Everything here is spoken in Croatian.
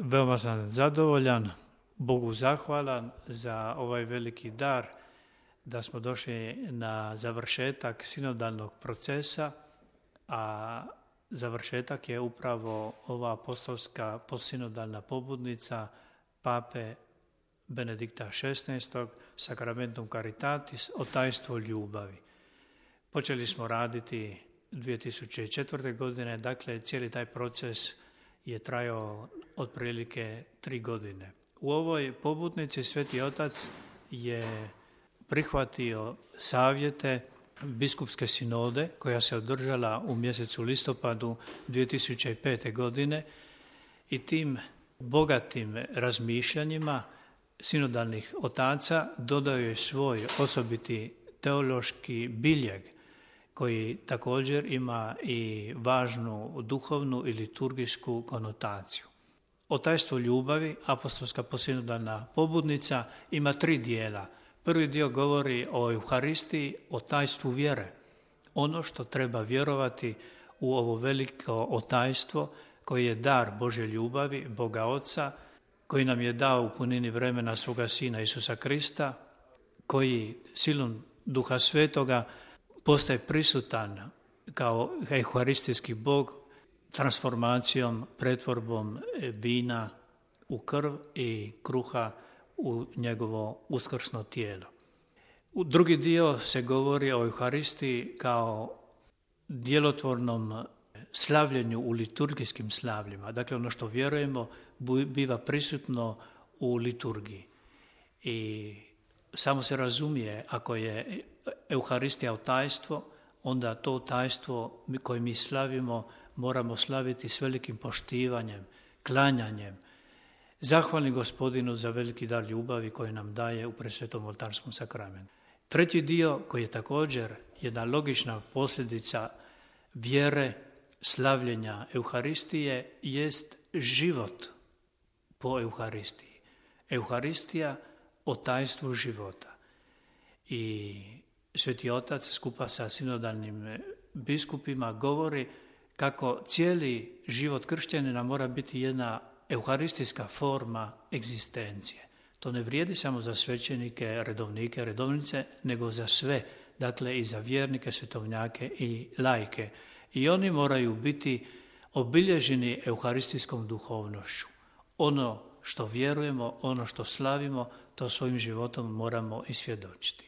Veoma sam zadovoljan, Bogu zahvalan za ovaj veliki dar da smo došli na završetak sinodalnog procesa, a završetak je upravo ova apostolska postsinodalna pobudnica Pape Benedikta XVI. Sacramentum Caritatis o tajstvu ljubavi. Počeli smo raditi 2004. godine, dakle cijeli taj proces je trajao otprilike 3 godine. U ovoj pobudnici Sveti Otac je prihvatio savjete biskupske sinode koja se održala u mjesecu listopadu 2005. godine i tim bogatim razmišljanjima sinodalnih otaca dodao je svoj osobiti teološki biljeg koji također ima i važnu duhovnu i liturgijsku konotaciju. O tajstvu ljubavi, apostolska postsinodalna pobudnica, ima 3 dijela. Prvi dio govori o Euharistiji, o tajstvu vjere. Ono što treba vjerovati u ovo veliko otajstvo koje je dar Božje ljubavi, Boga Oca, koji nam je dao u punini vremena svoga Sina Isusa Krista, koji silom Duha Svetoga postaje prisutan kao euharistijski Bog transformacijom, pretvorbom vina u krv i kruha u njegovo uskrsno tijelo. U drugi dio se govori o Euharistiji kao djelotvornom slavljenju u liturgijskim slavljima. Dakle, ono što vjerujemo biva prisutno u liturgiji. I samo se razumije, ako je Euharistija tajstvo, onda to tajstvo koje mi slavimo moramo slaviti s velikim poštivanjem, klanjanjem, zahvalni Gospodinu za veliki dar ljubavi koji nam daje u presvetom oltarskom sakramentu. Treći dio, koji je također jedna logična posljedica vjere, slavljenja Euharistije, jest život po Euharistiji. Euharistija o tajstvu života. I Sveti Otac skupa sa sinodalnim biskupima govori kako cijeli život kršćanina mora biti jedna euharistijska forma egzistencije. To ne vrijedi samo za svećenike, redovnike, redovnice, nego za sve, dakle i za vjernike, svetovnjake i laike. I oni moraju biti obilježeni euharistijskom duhovnošću. Ono što vjerujemo, ono što slavimo, to svojim životom moramo i svjedočiti.